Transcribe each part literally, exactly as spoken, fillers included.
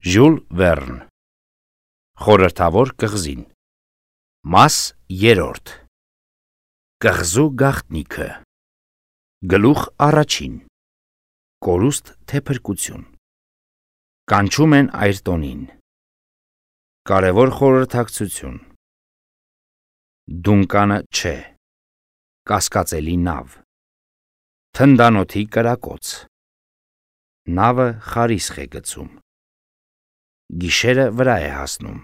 Ժյուլ Վերն Խորհրդավոր կղզին Մաս երրորդ Կղզու գաղտնիքը Գլուխ առաջին Կորուստ թե փրկություն Կանչում են Այրտոնին Կարևոր խորհրդակցություն Դունկանը չէ Կասկածելի նավ Թնդանոթի կրակոց Նավը խարիսխ է գցում Գիշերը վրա է հասնում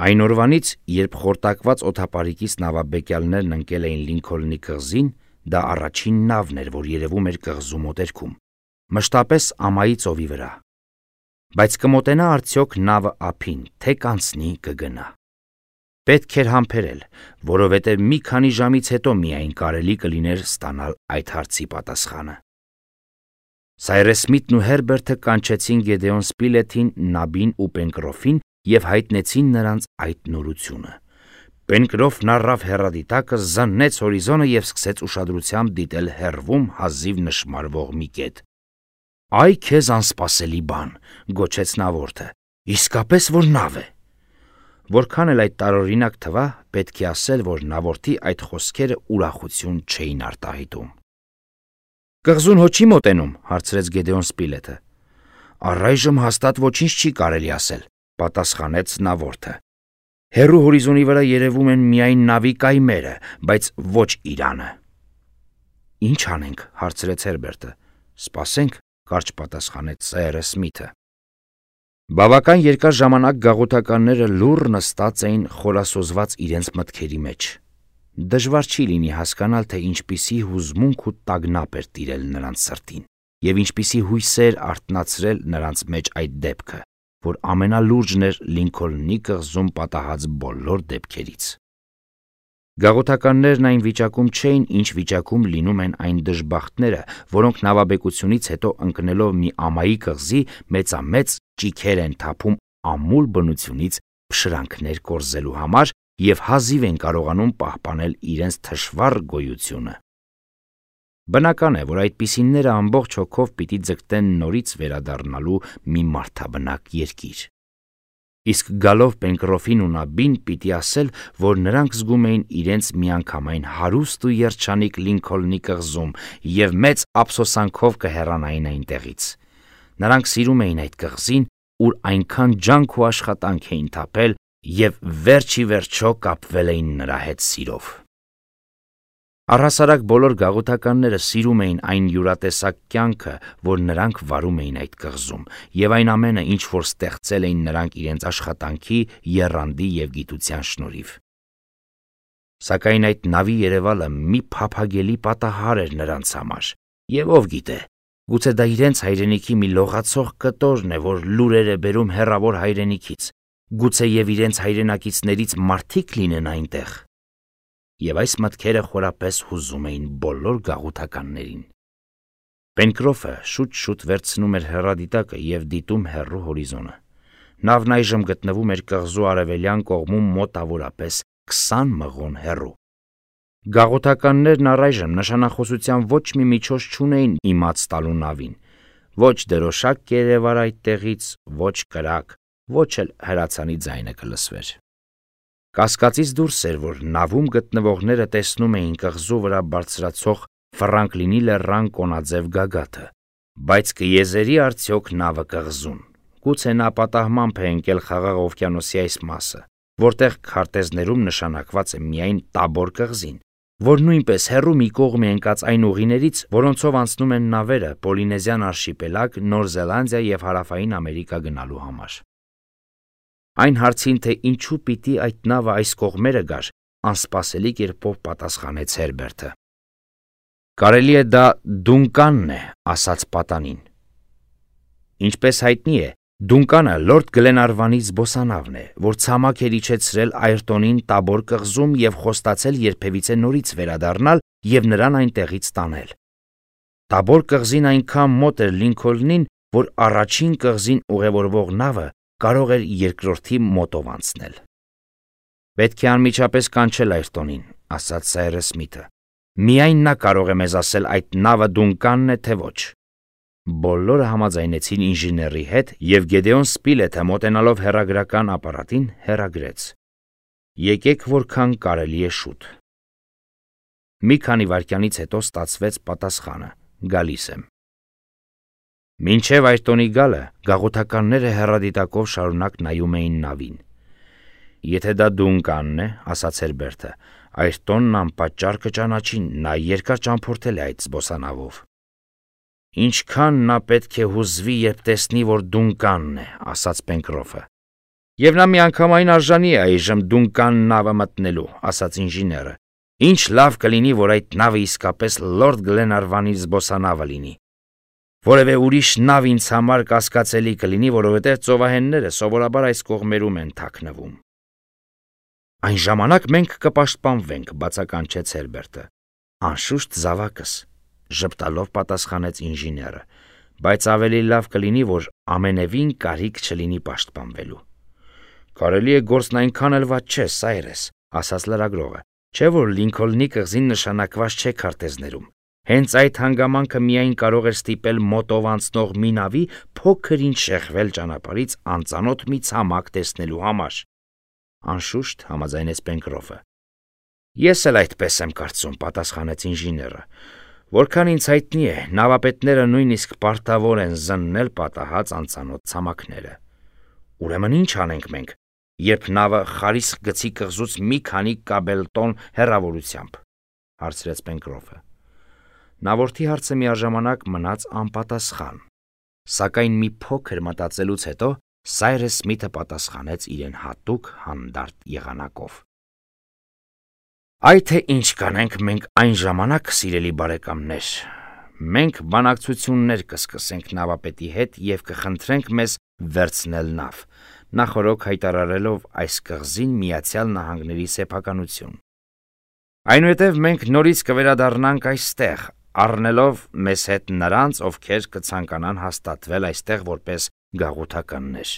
Այն օրվանից, երբ խորտակված օդապարիկից նավաբեկյալներն ընկել էին Լինքոլնի կղզին, դա առաջին նավն էր, որ երևում էր կղզու մոտերքում, մշտապես ամայի ծովի վրա, բայց կմոտենա արդյոք նավը ափին, թե կանցնի կգնա: Պետք էր համբերել, որովհետև մի քանի ժամից հետո միայն կարելի կլիներ ստանալ այդ հարցի պատասխանը: Սայրես Սմիթն ու Հերբերտը կանչեցին Գեդեոն Սպիլեթին, Նաբին ու Պենկրոֆին և հայտնեցին նրանց այդ նորությունը: Պենկրոֆն առավ հեռադիտակը, զննեց հորիզոնը և սկսեց ուշադրությամբ դիտել հեռվում հազիվ նշմարվող մի կետ: «Այ քեզ անսպասելի բան», գոչեց նավորդը, «իսկապես որ նավ է»: Որքան էլ այդ տարօրինակ թվա, պետք է ասել, որ նավորդի այդ խոսքերը ուրախություն չէին արտահայտում: «Կղզուն հո չի մոտենում», հարցրեց Գեդեոն Սպիլեթը: «Առայժմ հաստատ ոչինչ չի կարելի ասել», պատասխանեց նավորդը: «Հեռու հորիզոնի վրա երևում են միայն նավի կայմերը, բայց ոչ իրանը»: «Ինչ անենք», հարցրեց Հերբերտը: «Սպասենք», կարճ պատասխանեց Սայրես Սմիթը: Բավական երկար ժամանակ գաղութականները լուռ նստած էին խորասոզված իրենց մտքերի մեջ: Դժվար չի լինի հասկանալ, թե ինչպիսի հուզմունք ու տագնապ էր տիրել նրանց սրտին և ինչպիսի հույսեր արթնացրել նրանց մեջ այդ դեպքը, որ ամենալուրջն էր Լինքոլնի կղզում պատահած բոլոր դեպքերից: Գաղութականներն այն վիճակում չէին, ինչ վիճակում լինում են այն դժբախտները, որոնք նավաբեկությունից հետո ընկնելով մի ամայի կղզի, մեծամեծ ճիգեր են թափում ամուլ բնությունից փշրանքներ կորզելու համար և հազիվ են կարողանում պահպանել իրենց թշվառ գոյությունը: Բնական է, որ այդպիսիները ամբողջ հոգով պիտի ձգտեն նորից վերադառնալու մի մարդաբնակ երկիր: Իսկ գալով Պենկրոֆին ու Նաբին, պիտի ասել, որ նրանք զգում էին իրենց միանգամայն հարուստ ու երջանիկ Լինքոլնի կղզում և մեծ ափսոսանքով կհեռանային այնտեղից: Նրանք սիրում էին այդ կղզին, ուր այնքան ջանք ու աշխատանք էին թափել և վերջ ի վերջո կապվել էին նրա հետ սիրով: Առհասարակ բոլոր գաղութականները սիրում էին այն յուրատեսակ կյանքը, որ նրանք վարում էին այդ կղզում և այն ամենը, ինչ որ ստեղծել էին նրանք իրենց աշխատանքի, եռանդի և գիտության շնորհիվ: Սակայն այդ նավի երևալը մի փափագելի պատահար էր նրանց համար և ով գիտե, գուցե դա իրենց հայրենիքի մի լողացող կտորն է, որ լուրեր է բերում հեռավոր հայրենիքից, գուցեև իրենց հայրենակիցներից մարդիկ լինեն այնտեղ: Եվ այս մտքերը խորապես հուզում էին բոլոր գաղութականներին: Պենկրոֆը շուտ-շուտ վերցնում էր հեռադիտակը և դիտում հեռու հորիզոնը: Նավն այժմ գտնվում էր կղզու արևելյան կողմում մոտավորապես քսան մղոն հեռու: Գաղութականներն առայժմ նշանախոսության ոչ մի միջոց չունեին իմաց տալու նավին: Ոչ դրոշակ կերևար այդտեղից, ոչ կրակ, ոչ էլ հրացանի ձայնը կլսվեր: Կասկածից դուրս էր, որ նավում գտնվողները տեսնում էին կղզու վրա բարձրացող Ֆրանկլինի լեռան կոնաձև գագաթը: Բայց կեզերի արդյոք նավը կղզուն: Գուցե նա պատահմամբ է ընկել Խաղաղ օվկիանոսի այս մասը, որտեղ քարտեզներում նշանակված է միայն Տաբոր կղզին, որ նույնպես հեռու մի կողմ է ընկած այն ուղիներից, որոնցով անցնում են նավերը Պոլինեզիան արշիպելագ, Նոր Զելանդիա և Հարավային Ամերիկա գնալու համար: Այն հարցին, թե ինչու պիտի այդ նավը այս կողմերը գար, անսպասելի կերպով պատասխանեց Հերբերտը: «Կարելի է դա Դունկանն է», ասաց պատանին: Ինչպես հայտնի է, Դունկանը լորդ Գլենարվանի զբոսանավն է, որ ցամաք էր իջեցրել Այրտոնին Տաբոր կղզում և խոստացել երբևիցե նորից վերադառնալ և նրան այնտեղից տանել: Տաբոր կղզին այնքան մոտ էր Լինքոլնին, որ առաջին կղզին ուղևորվող նավը կարող էր երկրորդի մոտով անցնել: «Պետք է անմիջապես կանչել Այրտոնին», ասաց Սայրես Սմիթը: «Միայն նա կարող է մեզ ասել այդ նավը Դունկանն է, թե ոչ»: Բոլորը համաձայնեցին ինժեների հետ, եւ Գեդեոն Սպիլեթը մոտենալով հեռագրական ապարատին հեռագրեց. «Եկեք որքան կարելի է շուտ»։ Մի քանի վայրկյանից հետո ստացվեց պատասխանը. «Գալիս եմ»։ Մինչև Այրտոնի գալը գաղութականները հեռադիտակով շարունակ նայում էին նավին։ «Եթե դա Դունկանն է, — ասաց Հերբերտը, — Այրտոնն անպատճառ կճանաչի, նա երկար ճամփորդել է այդ զբոսանավով»։ «Ինչքան նա պետք է հուզվի, երբ տեսնի, որ Դունկանն է», — ասաց Պենկրոֆը։ «Եվ նա միանգամայն արժանի է այժմ Դունկան նավը մտնելու», — ասաց ինժեները։ «Ինչ լավ կլինի, որ այդ նավը իսկապես Լորդ Գլենարվանի զբոսանավը լինի։ Որևէ ուրիշ նավ ինձ համար կասկածելի կլինի, որովհետև ծովահենները սովորաբար այս կողմերում են թաքնվում»։ «Այն ժամանակ մենք կպաշտպանվենք», — բացականչեց Հերբերտը։ «Անշուշտ զավակս», — ժպտալով պատասխանեց ինժեները, «բայց ավելի լավ կլինի, որ ամենևին կարիք չլինի պաշտպանվելու»։ «Կարելի է գործն այնքան էլ վատ չէ, Սայրես», — ասաց լրագրողը, «չէ՞ որ Լինքոլնի կղզին նշանակված չէ քարտեզներում։ Հենց այդ հանգամանքը միայն կարող էր ստիպել մոտով անցնող մի նավի փոքր-ինչ շեղվել ճանապարհից անծանոթ մի ցամաք տեսնելու համար»։ «Անշուշտ», — համաձայնեց Պենկրոֆը։ «Ես էլ այդպես եմ կարծում», — պատասխանեց ինժեները։ «Որքան ինձ հայտնի է, նավապետները նույնիսկ պարտավոր են զննել պատահած անծանոթ ցամաքները»։ «Ուրեմն ի՞նչ անենք մենք, երբ նավը Խարիսխ գծի կղզուց մի քանի կաբելտոն հեռավորությամբ», — հարցրեց Պենկրոֆը։ Նավորդի հարցը միաժամանակ մնաց անպատասխան, սակայն մի փոքր մտածելուց հետո Սայրես Սմիթը պատասխանեց իրեն հատուկ հանդարտ եղանակով. «Այ թե ինչ կանենք մենք այն ժամանակ, սիրելի բարեկամներ, մենք բանակցություններ կսկսենք նավապետի հետ եւ կխնդրենք մեզ վերցնել նավ, նախօրոք հայտարարելով այս կղզին Միացյալ Նահանգների սեփականություն։ Այնուհետև մենք նորից կվերադառնանք այստեղ, առնելով մեզ հետ նրանց, ովքեր կցանկանան հաստատվել այստեղ որպես գաղութականներ։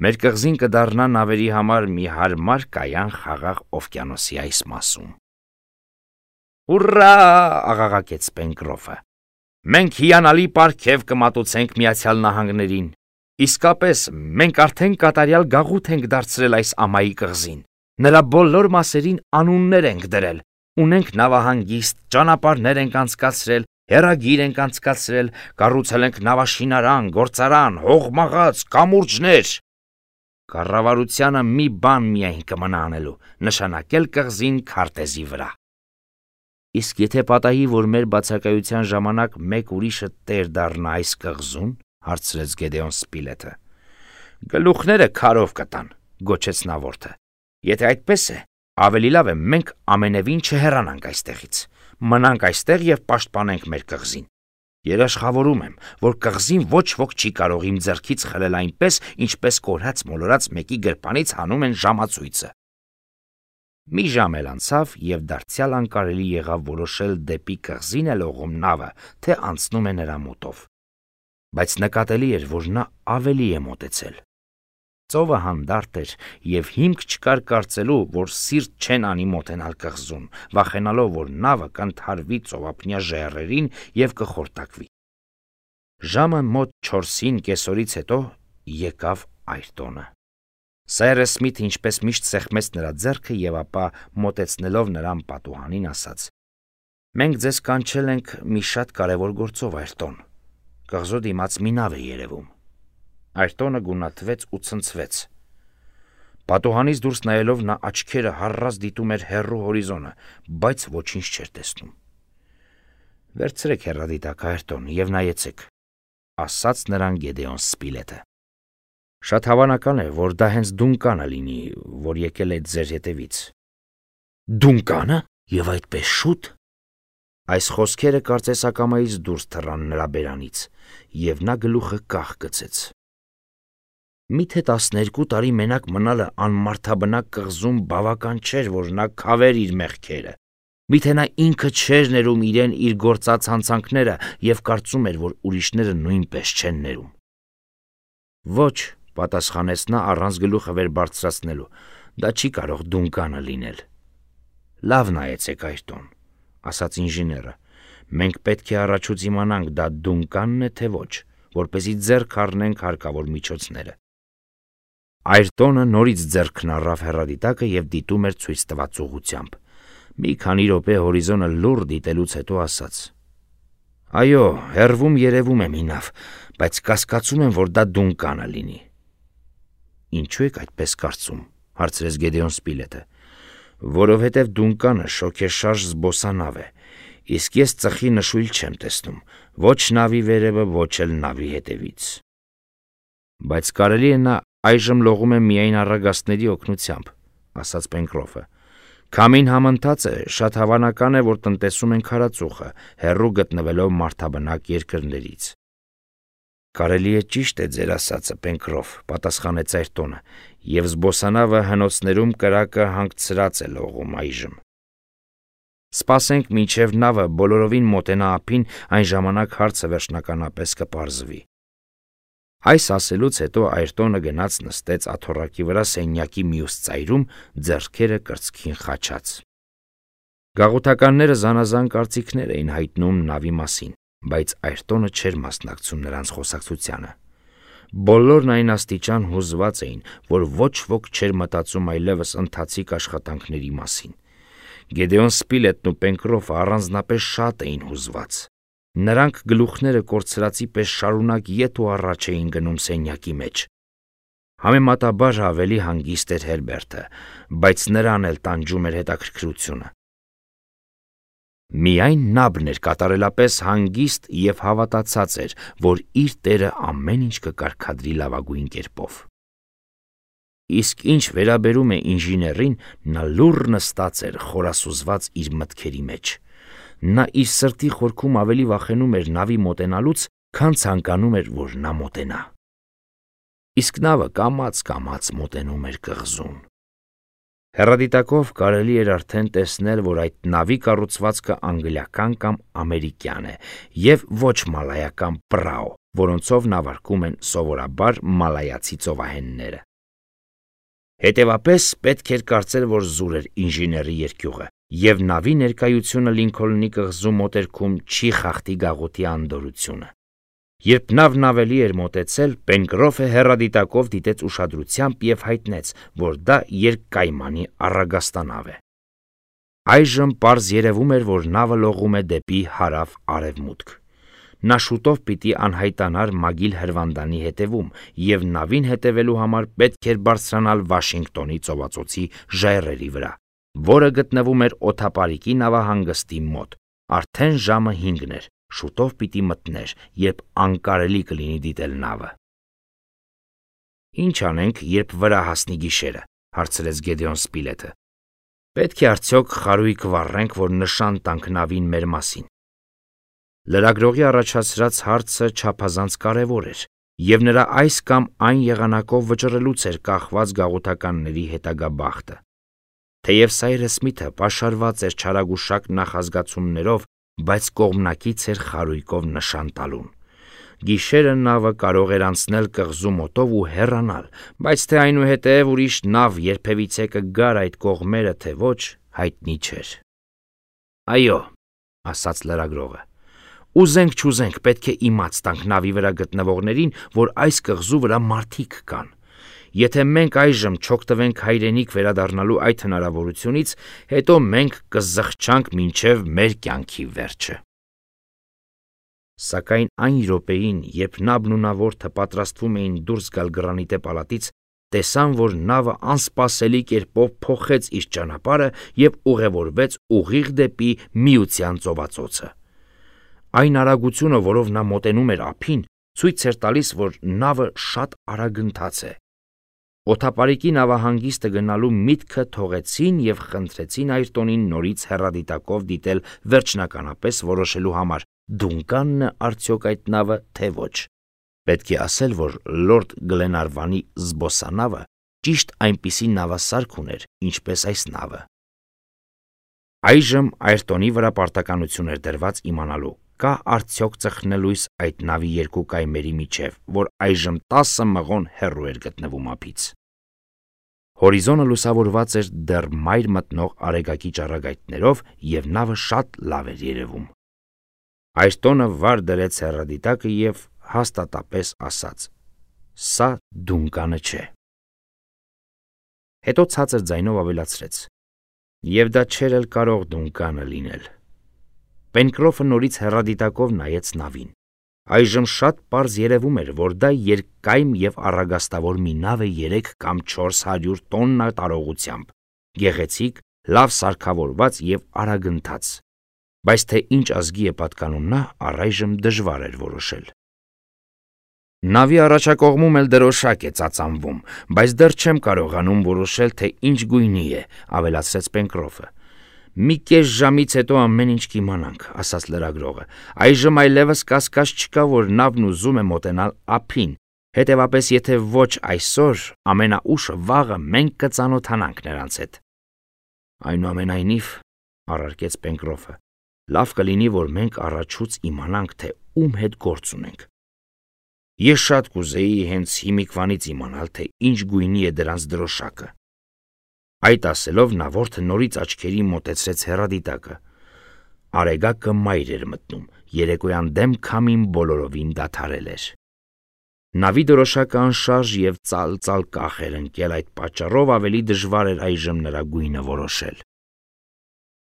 Մեր կղզին կդառնա նավերի համար մի հարմար կայան Խաղաղ օվկիանոսի այս մասում»։ «Հուրրա!» աղաղակեց Պենկրոֆը։ «Մենք հիանալի պարգև կմատուցենք Միացյալ Նահանգներին։ Իսկապես, մենք արդեն կատարյալ գաղութ ենք դարձրել այս ամայի կղզին։ Նրա բոլոր մասերին անուններ ենք դրել, ունենք նավահանգիստ, ճանապարհներ ենք անցկացրել, հեռագիր ենք անցկացրել, կառուցել ենք նավաշինարան, գործարան, հողմաղաց, կամուրջներ։ Կառավարությանը մի բան միայն կմնա անելու՝ նշանակել կղզին քարտեզի վրա»։ «Իսկ եթե պատահի, որ մեր բացակայության ժամանակ մեկ ուրիշը տեր դառնա այս կղզում», — հարցրեց Գեդեոն Սպիլեթը։ «Գլուխները քարով կտան», — գոչեց նավորդը։ «Եթե այդպես է, ավելի լավ է մենք ամենևին չհեռանանք այստեղից, մնանք այստեղ եւ պաշտպանենք մեր կղզին։ Երաշխավորում եմ, որ կղզին ոչ ոք չի կարող իմ ձեռքից խլել այնպես, ինչպես կորած-մոլորած մեկի գրպանից հանում են ժամացույցը»։ Մի ժամ էլ անցավ, եւ դարձյալ անկարելի եղավ որոշել դեպի կղզին է լողում նավը, թե անցնում է նրա մոտով։ Բայց նկատելի էր, որ նա ավելի է մոտեցել։ Ծովը հանդարտ էր, եւ հիմք չկար կարծելու, որ սիրտ չեն անի մոտենալ կղզուն, վախենալով, որ նավը կընդհարվի ծովափնյա ժայռերին եւ կխորտակվի։ Ժամը մոտ չորսին կեսօրից հետո եկավ Այրտոնը։ Սայրես Սմիթը ինչպես միշտ սեղմեց նրա ձեռքը եւ ապա մոտեցնելով նրան պատուհանին ասաց. «Մենք ձեզ կանչել ենք մի շատ կարևոր գործով, Այրտոն։ Կղզու դիմաց մի նավ է երևում»։ Այրտոնը գունատվեց ու ցնցվեց։ Պատուհանից դուրս նայելով նա աչքերը հառած դիտում էր հեռու հորիզոնը, բայց ոչինչ չէր տեսնում։ «Վերցրեք հեռադիտակը, Այրտոն, եւ նայեցեք», — ասաց նրան Գեդեոն Սպիլեթը։ «Շատ հավանական է, որ դա հենց Դունկանը լինի, որ եկել է ձեր հետևից»։ «Դունկանը? Եվ այդպես շուտ»։ Այս խոսքերը կարծես ակամայից դուրս թռան նրա բերանից, եւ նա գլուխը կախ գցեց։ Միթե տասներկու տարի մենակ մնալը անմարդաբնակ կղզում բավական չէր, որ նա քավեր իր մեղքերը։ Միթե նա ինքը չէր ներում իրեն իր գործած հանցանքները եւ կարծում էր, որ ուրիշները նույնպես չեն ներում։ «Ոչ», պատասխանեց նա առանց գլուխը վեր բարձրացնելու, «դա չի կարող Դունկանը լինել»։ «Լավ նայեցեք, Այրտոն», ասաց ինժեները, Մենք պետք է առաջուց իմանանք դա Դունկանն է թե ոչ, որպեսզի ձեռք առնենք հարկավոր միջոցները։ Այրտոնը նորից ձեռքն առավ հեռադիտակը և դիտում էր ցույց տված ուղղությամբ։ Մի քանի րոպե հորիզոնը լուռ դիտելուց հետո ասաց. Այո, հեռվում երևում է մի նավ, բայց կասկածում եմ, որ դա Դունկանը լինի։ Ինչու եք այդպես կարծում, հարցրեց Գեդեոն Սպիլետը։ Որովհետև Դունկանը շոգեշարժ զբոսանավ է, իսկ ես ծխի նշույլ չեմ տեսնում, ոչ նավի վերևը, ոչ էլ նավի հետևից։ Բայց կարելի է նա այժմ լողում է միայն առագաստների օգնությամբ, ասաց Պենկրոֆը։ Քամին համընթաց է, շատ հավանական է, որ տնտեսում են քարածուխը, հեռու գտնվելով մարդաբնակ երկրներից։ Կարելի է ճիշտ է ձեր ասածը, Պենկրոֆ, պատասխանեց Այրտոնը, և զբոսանավը հնոցներում կրակը հանգցրած է լողում այժմ։ Սպասենք մինչև նավը բոլորովին մոտենա ափին, այն ժամանակ հարցը վերջնականապես կպարզվի։ Այս ասելուց հետո Այրտոնը գնաց նստեց աթոռակի վրա սենյակի մյուս ծայրում, ձեռքերը կրծքին խաչած։ Գաղութականները զանազան կարծիքներ էին հայտնում նավի մասին, բայց Այրտոնը չէր մասնակցում նրանց խոսակցությանը։ Բոլորն այն աստիճան հուզված էին, որ ոչ ոք չէր մտածում այլևս ընթացիկ աշխատանքների մասին։ Գեդեոն Սպիլետն ու Պենկրոֆը առանձնապես շատ էին հուզված։ Նրանք գլուխները կորցրածի պես շարունակ ետ ու առաջ էին գնում սենյակի մեջ։ Համեմատաբար ավելի հանգիստ էր Հերբերտը, բայց նրան էլ տանջում էր հետաքրքրությունը։ Միայն Նաբն էր կատարելապես հանգիստ և հավատացած էր, որ իր տերը ամեն ինչ կկարգադրի լավագույն կերպով։ Իսկ ինչ վերաբերում է ինժեներին, նա լուռ նստած էր խորասուզված իր մտքերի մեջ։ Նա իր սրտի խորքում ավելի վախենում էր նավի մոտենալուց, քան ցանկանում էր, որ նա մոտենա։ Իսկ նավը կամաց-կամաց մոտենում էր կղզուն։ Հեռադիտակով կարելի էր արդեն տեսնել, որ այդ նավի կառուցվածքը անգլիական կամ ամերիկյան է և ոչ մալայական պրաո, որոնցով նավարկում են սովորաբար մալայացի ծովահենները։ Հետևապես պետք էր կարծել, որ զուր էր ինժեների երկյուղը, և նավի ներկայությունը Լինքոլնի կղզու մոտերքում չի խախտի գաղութի անդորրությունը։ Երբ նավն ավելի էր մոտեցել, Պենկրոֆը հեռադիտակով դիտեց ուշադրությամբ և հայտնեց, որ դա երկկայմանի առագաստանավ է։ Այժմ պարզ երևում էր, որ նավը լողում է դեպի հարավ-արևմուտք։ Նա շուտով պիտի անհայտանար Մագիլ հրվանդանի հետևում, և նավին հետևելու համար պետք էր բարձրանալ Վաշինգտոնի ծովածոցի ժայռերի վրա, որը գտնվում էր օդապարիկի նավահանգստի մոտ։ Արդեն ժամը հինգն էր, շուտով պիտի մթներ, երբ անկարելի կլինի դիտել նավը։ Ինչ անենք, երբ վրա հասնի գիշերը, հարցրեց Գեդեոն Սպիլետը։ Պետք է արդյոք խարույկ վառենք, որ նշան տանք նավին մեր մասին։ Լրագրողի առաջացրած հարցը չափազանց կարևոր էր, և նրա այս կամ այն եղանակով վճռելուց էր կախված գաղութականների հետագա բախտը։ Թեև Սայրս Սմիթը պաշարված էր չարագուշակ նախազգացումներով, բայց կողմնակից էր խարույկով նշան տալուն։ Գիշերը նավը կարող էր անցնել կղզու մոտով ու հեռանալ, բայց թե այնուհետև ուրիշ նավ երբևիցե կգար այդ կողմերը, թե ոչ, հայտնի չէր։ Այո, ասաց լրագրողը, ուզենք չուզենք պետք է իմաց տանք նավի վրա գտնվողներին, որ այս կղզու վրա մարդիկ կան։ Եթե մենք այժմ չօգտվենք հայրենիք վերադառնալու այդ հնարավորությունից, հետո մենք կզղջանք մինչև մեր կյանքի վերջը։ Սակայն այն րոպեին, երբ Նաբն ու նավորդը պատրաստվում էին դուրս գալ գրանիտե պալատից, տեսան, որ նավը անսպասելի կերպով փոխեց իր ճանապարհը և ուղևորվեց ուղիղ դեպի Միության ծովածոցը։ Այն արագությունը, որով նա մոտենում էր ափին, ցույց էր տալիս, որ նավը շատ արագընթաց է։ Օդապարիկի նավահանգիստը գնալու միտքը թողեցին և խնդրեցին Այրտոնին նորից հեռադիտակով դիտել վերջնականապես որոշելու համար, Դունկանն է արդյոք այդ նավը, թե ոչ։ Պետք է ասել, որ լորդ Գլենարվանի զբոսանավը ճիշտ այնպիսի նավասարք ուներ, ինչպես այս նավը։ Այժմ Այրտոնի վրա պարտականություն էր դրված իմանալու, կա արդյոք ծխնելույս այդ նավի երկու կայմերի միջև, որ այժմ տասը մղոն հեռու էր գտնվում ափից։ Հորիզոնը լուսավորված էր դեռ մայր մտնող արեգակի ճառագայթներով, և նավը շատ լավ էր երևում։ Այրտոնը վար դրեց հեռադիտակը և հաստատապես ասաց. «Սա Դունկանը չէ»։ Հետո ցածր ձայնով ավելացրեց. «Եվ դա չէր էլ կարող Դունկանը լինել»։ Պենկրոֆը նորից հեռադիտակով նայեց նավին։ Այժմ շատ պարզ երևում էր, որ դա երկկայմ և առագաստավոր մի նավ է երեք կամ չորս հարյուր տոննա տարողությամբ, գեղեցիկ, լավ սարքավորված և արագընթաց, բայց թե ինչ ազգի է պատկանում նա, առայժմ դժվար էր որոշել։ «Նավի առաջակողմում էլ դրոշակ է ծածանվում, բայց դեռ չեմ կարողանում որոշել, թե ինչ գույնի է», ավելացրեց Պենկրոֆը։ «Մի կես ժամից հետո ամեն ինչ կիմանանք», ասաց լրագրողը։ «Այժմ այլևս կասկած չկա, որ նավն ուզում է մոտենալ ափին, հետևապես եթե ոչ այսօր, ամենաուշը վաղը մենք կծանոթանանք նրանց հետ»։ «Այնուամենայնիվ», առարկեց Պենկրոֆը, «լավ կլինի, որ մենք առաջուց իմանանք, թե ում հետ գործ ունենք։ Ես շատ կուզեի հենց հիմիկվանից իմանալ, թե ինչ գույնի է դրանց դրոշակը»։ Այդ ասելով նավորդը նորից աչքերի մոտեցրեց հեռադիտակը։ Արեգակը մայր էր մտնում, երեկոյան դեմ քամին բոլորովին դադարել էր։ Նավի դրոշակը անշարժ և ծալ-ծալ կախ էր ընկել, այդ պատճառով ավելի դժվար էր այժմ նրա գույնը որոշել։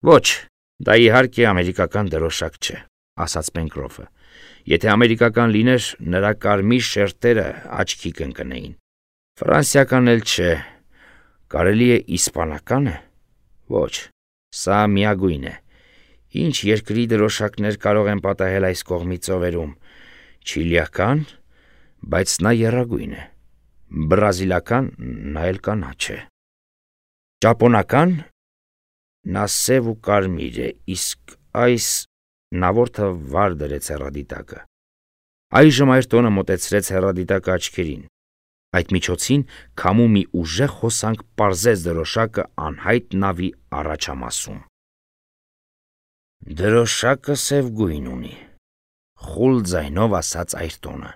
«Ոչ, դա իհարկե ամերիկական դրոշակ չէ», ասաց Պենկրոֆը։ «Եթե ամերիկական լիներ, նրա կարմիր շերտերը աչքի կընկնեին։ Ֆրանսիական էլ չէ։ Կարելի է իսպանակա՞ն է։ Ոչ, սա միագույն է։ Ինչ երկրի դրոշակներ կարող են պատահել այս կողմի ծովերում։ Չիլիական, բայց նա եռագույն է։ Բրազիլական, նա էլ կանաչ է։ Ճապոնական, նա սև ու կարմիր է, իսկ այս…» Նավորդը վար դրեց հեռադիտակը։ Այժմ Այրտոնը մոտեցրեց հեռադիտակը աչքերին։ Այդ միջոցին քամու մի ուժեղ հոսանք պարզեց դրոշակը անհայտ նավի առաջամասում։ «Դրոշակը սև գույն ունի», խուլ ձայնով ասաց Այրտոնը։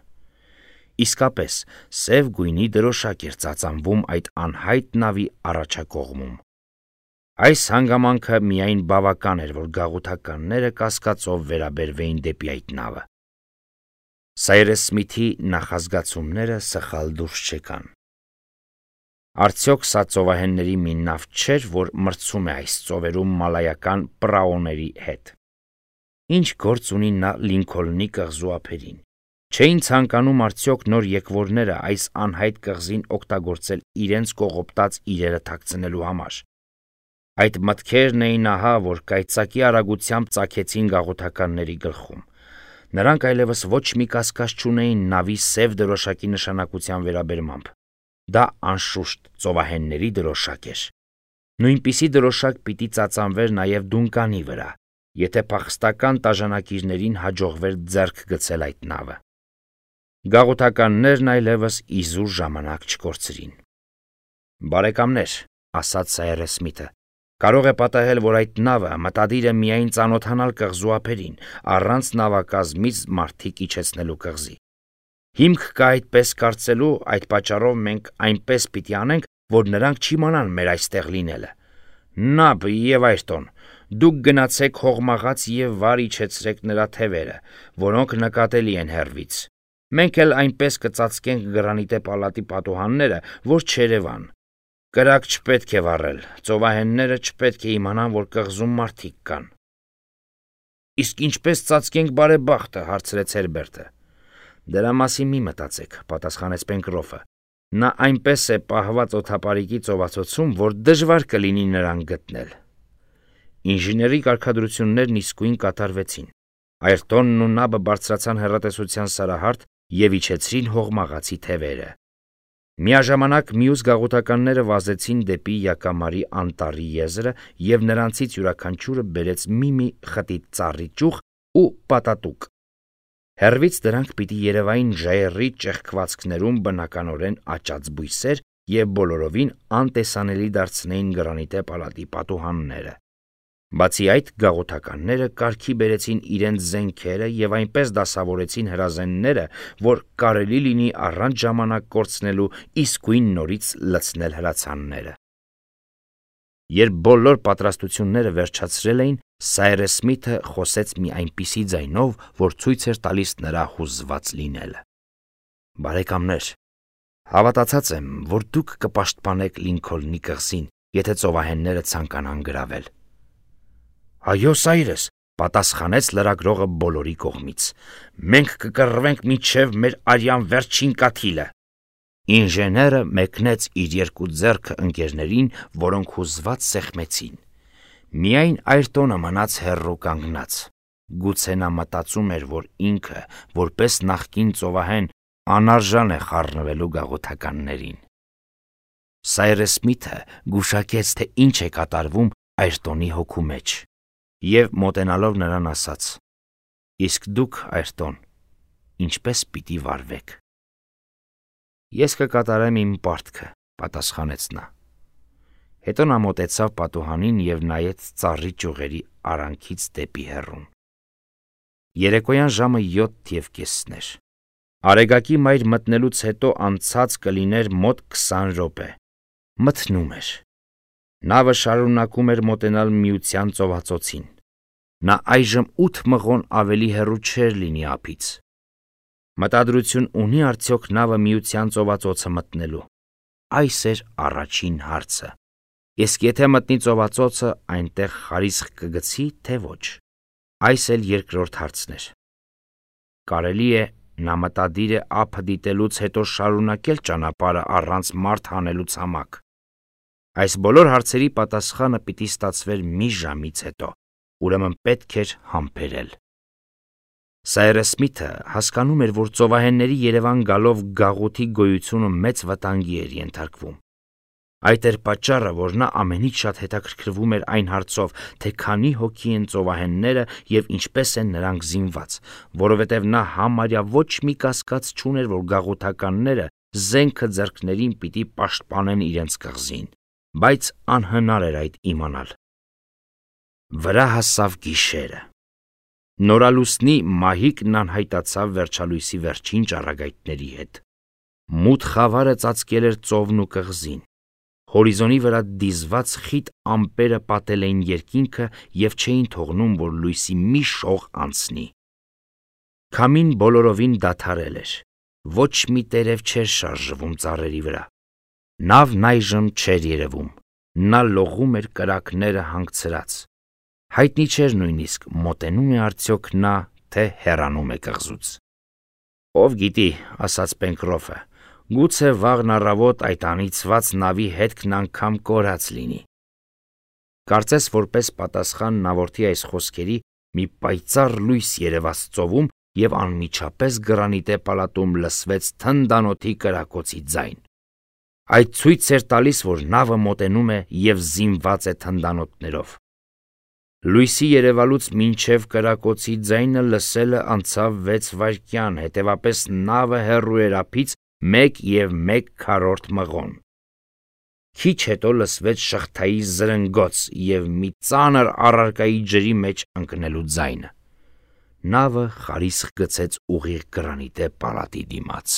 Իսկապես, սև գույնի դրոշակ էր ծածանվում այդ անհայտ նավի առաջակողմում։ Այս հանգամանքը միայն բավական էր, որ գաղութականները կասկածով վերաբերվեին դեպի այդ նավը։ Սայրես Սմիթի նախազգացումները սխալ դուրս չեկան։ Արդյոք սա ծովահենների մի նավ չէր, որ մրցում է այս ծովերում մալայական պրաոների հետ։ Ինչ գործ ունի նա Լինքոլնի կղզու ափերին։ Չէին ցանկանում արդյոք նոր եկվորները այս անհայտ կղզին օգտագործել իրենց կողոպտած իրերը թաքցնելու համար։ Այդ մտքերն էին ահա, որ կայծակի արագությամբ ծագեցին գաղութականների գլխում։ Նրանք այլևս ոչ մի կասկած չունեին նավի սև դրոշակի նշանակության վերաբերմամբ։ Դա անշուշտ ծովահենների դրոշակ էր։ Նույնպիսի դրոշակ պիտի ծածանվեր նաև Դունկանի վրա, եթե փախստական տաժանակիրներին հաջողվեր ձեռք գցել այդ նավը։ Գաղութականներն այլևս իզուր ժամանակ չկորցրին։ «Բարեկամներ», ասաց Սայրես Սմիթը, «կարող է պատահել, որ այդ նավը մտադիր է միայն ծանոթանալ կղզու ափերին, առանց նավակազմից մարդիկ իջեցնելու կղզի։ Հիմք կա այդպես կարծելու, այդ պատճառով մենք այնպես պիտի անենք, որ նրանք չիմանան մեր այստեղ լինելը։ Նաբ և Այրտոն, դուք գնացեք հողմաղաց և վար իջեցրեք նրա թևերը, որոնք նկատելի են հեռվից։ Մենք էլ այնպես կծածկենք գրանիտե պալատի պատուհանները, որ չերևան։ Կրակ չպետք է վառել, ծովահենները չպետք է իմանան, որ կղզում մարդիկ կան»։ «Իսկ ինչպես ծածկենք բարեբախտը», հարցրեց Հերբերտը։ «Դրա մասին մի մտածեք», պատասխանեց Պենկրոֆը։ «Նա այնպես է պահված օդապարիկի ծովածոցում, որ դժվար կլինի նրան գտնել»։ Ինժեների կարգադրություններն իսկույն կատարվեցին։ Այրտոնն ու նավը բարձրացան հեռատեսության սարահարթ և իջեցրին հողմաղացի թևերը։ Միաժամանակ մյուս գաղութականները վազեցին դեպի Յակամարի անտառի եզրը, և նրանցից յուրաքանչյուրը բերեց մի-մի խտի ծառի ճյուղ ու պատատուկ։ Հեռվից դրանք պիտի երևային ժայռի ճեղքվածքներում բնականորեն աճած բույսեր և բոլորովին անտեսանելի դարձնեին գրանիտե պալատի պատուհանները։ Բացի այդ, գաղութականները կարգի բերեցին իրենց զենքերը և այնպես դասավորեցին հրազենները, որ կարելի լինի առանց ժամանակ կորցնելու իսկույն նորից լցնել հրացանները։ Երբ բոլոր պատրաստությունները վերջացրել էին, Սայրես Սմիթը խոսեց մի այնպիսի ձայնով, որ ցույց էր տալիս նրա հուզված լինելը. «Բարեկամներ, հավատացած եմ, որ դուք կպաշտպանեք Լինքոլնի կղզին, եթե ծովահենները ցանկանան գրավել»։ «Այո, Սայրես», պատասխանեց լրագրողը բոլորի կողմից, «մենք կկռվենք մինչև մեր արյան վերջին կաթիլը»։ Ինժեները մեկնեց իր երկու ձեռքը ընկերներին, որոնք հուզված սեղմեցին։ Միայն Այրտոնը մնաց հեռու կանգնած։ Գուցե նա մտածում էր, որ ինքը, որպես նախկին ծովահեն, անարժան է խառնվելու գաղութականներին։ Սայրես Սմիթը գուշակեց, թե ինչ է կատարվում Այրտոնի հոգու մեջ, և մոտենալով նրան ասաց. «Իսկ դուք, Այրտոն, ինչպես պիտի վարվեք»։ «Ես կկատարեմ իմ պարտքը», պատասխանեց նա։ Հետո նա մոտեցավ պատուհանին և նայեց ծառի ճյուղերի արանքից դեպի հեռուն։ Երեկոյան ժամը յոթ և կեսն էր։ Արեգակի մայր մտնելուց հետո անցած կլիներ մոտ քսան րոպե։ Մթնում էր։ Նավը շարունակում էր մոտենալ Միության ծովածոցին։ Նա այժմ ութ մղոն ավելի հեռու չէր լինի ափից։ Մտադրություն ունի արդյոք նավը Միության ծովածոցը մտնելու։ Այս էր առաջին հարցը։ Իսկ եթե մտնի ծովածոցը, այնտեղ խարիսխ կգցի, թե ոչ։ Այս էլ երկրորդ հարցն էր։ Կարելի է, նա մտադիր է ափը դիտելուց հետո շարունակել ճանապարհը առանց մարդ հանելու ցամաք։ Այս բոլոր հարցերի պատասխանը պիտի ստացվեր մի ժամից հետո, ուրեմն պետք էր համբերել։ Սայրես Սմիթը հասկանում էր, որ ծովահենների Երևան գալով գաղութի գոյությունը մեծ վտանգի էր ենթարկվում։ Այդ էր պատճառը, որ նա ամենից շատ հետաքրքրվում էր այն հարցով, թե քանի հոգի են ծովահենները և ինչպես են նրանք զինված, որովհետև նա համարյա ոչ մի կասկած չուներ, որ գաղութականները զենքը ձեռքներին պիտի պաշտպանեն իրենց կղզին, բայց անհնար էր այդ իմանալ։ Վրա հասավ գիշերը։ Նորալուսնի մահիկն անհայտացավ վերջալույսի վերջին ճառագայթների հետ։ Մութ խավարը ծածկել էր ծովն ու կղզին։ Հորիզոնի վրա դիզված խիտ ամպերը պատել էին երկինքը և չէին թողնում, որ լույսի մի շող անցնի։ Քամին բոլորովին դադարել էր։ Ոչ մի տերև չէր շարժվում ծառերի վրա։ Նավն այժմ չէր երևում։ Նա լողում էր կրակները հանգցրած։ Հայտնի չէր նույնիսկ մոտենում է արդյոք նա, թե հեռանում է կղզուց։ «Ով գիտի», ասաց Պենկրոֆը, «գուցե վաղն առավոտ այդ անիծված նավի հետքն անգամ կորած լինի»։ Կարծես որպես պատասխան նավորդի այս խոսքերի մի պայծառ լույս երևաց ծովում և անմիջապես գրանիտե պալատում լսվեց թնդանոթի կրակոցի ձայն։ Այդ ցույց էր տալիս, որ նավը մոտենում է և զինված է թնդանոթներով։ Լույսի երևալուց մինչև կրակոցի ձայնը լսելը անցավ վեց վայրկյան, հետևապես նավը հեռու էր ափից մեկ և մեկ քառորդ մղոն։ Քիչ հետո լսվեց շղթայի զրնգոց և մի ծանր առարկայի ջրի մեջ ընկնելու ձայնը։ Նավը խարիսխ գցեց ուղիղ գրանիտե պալատի դիմաց։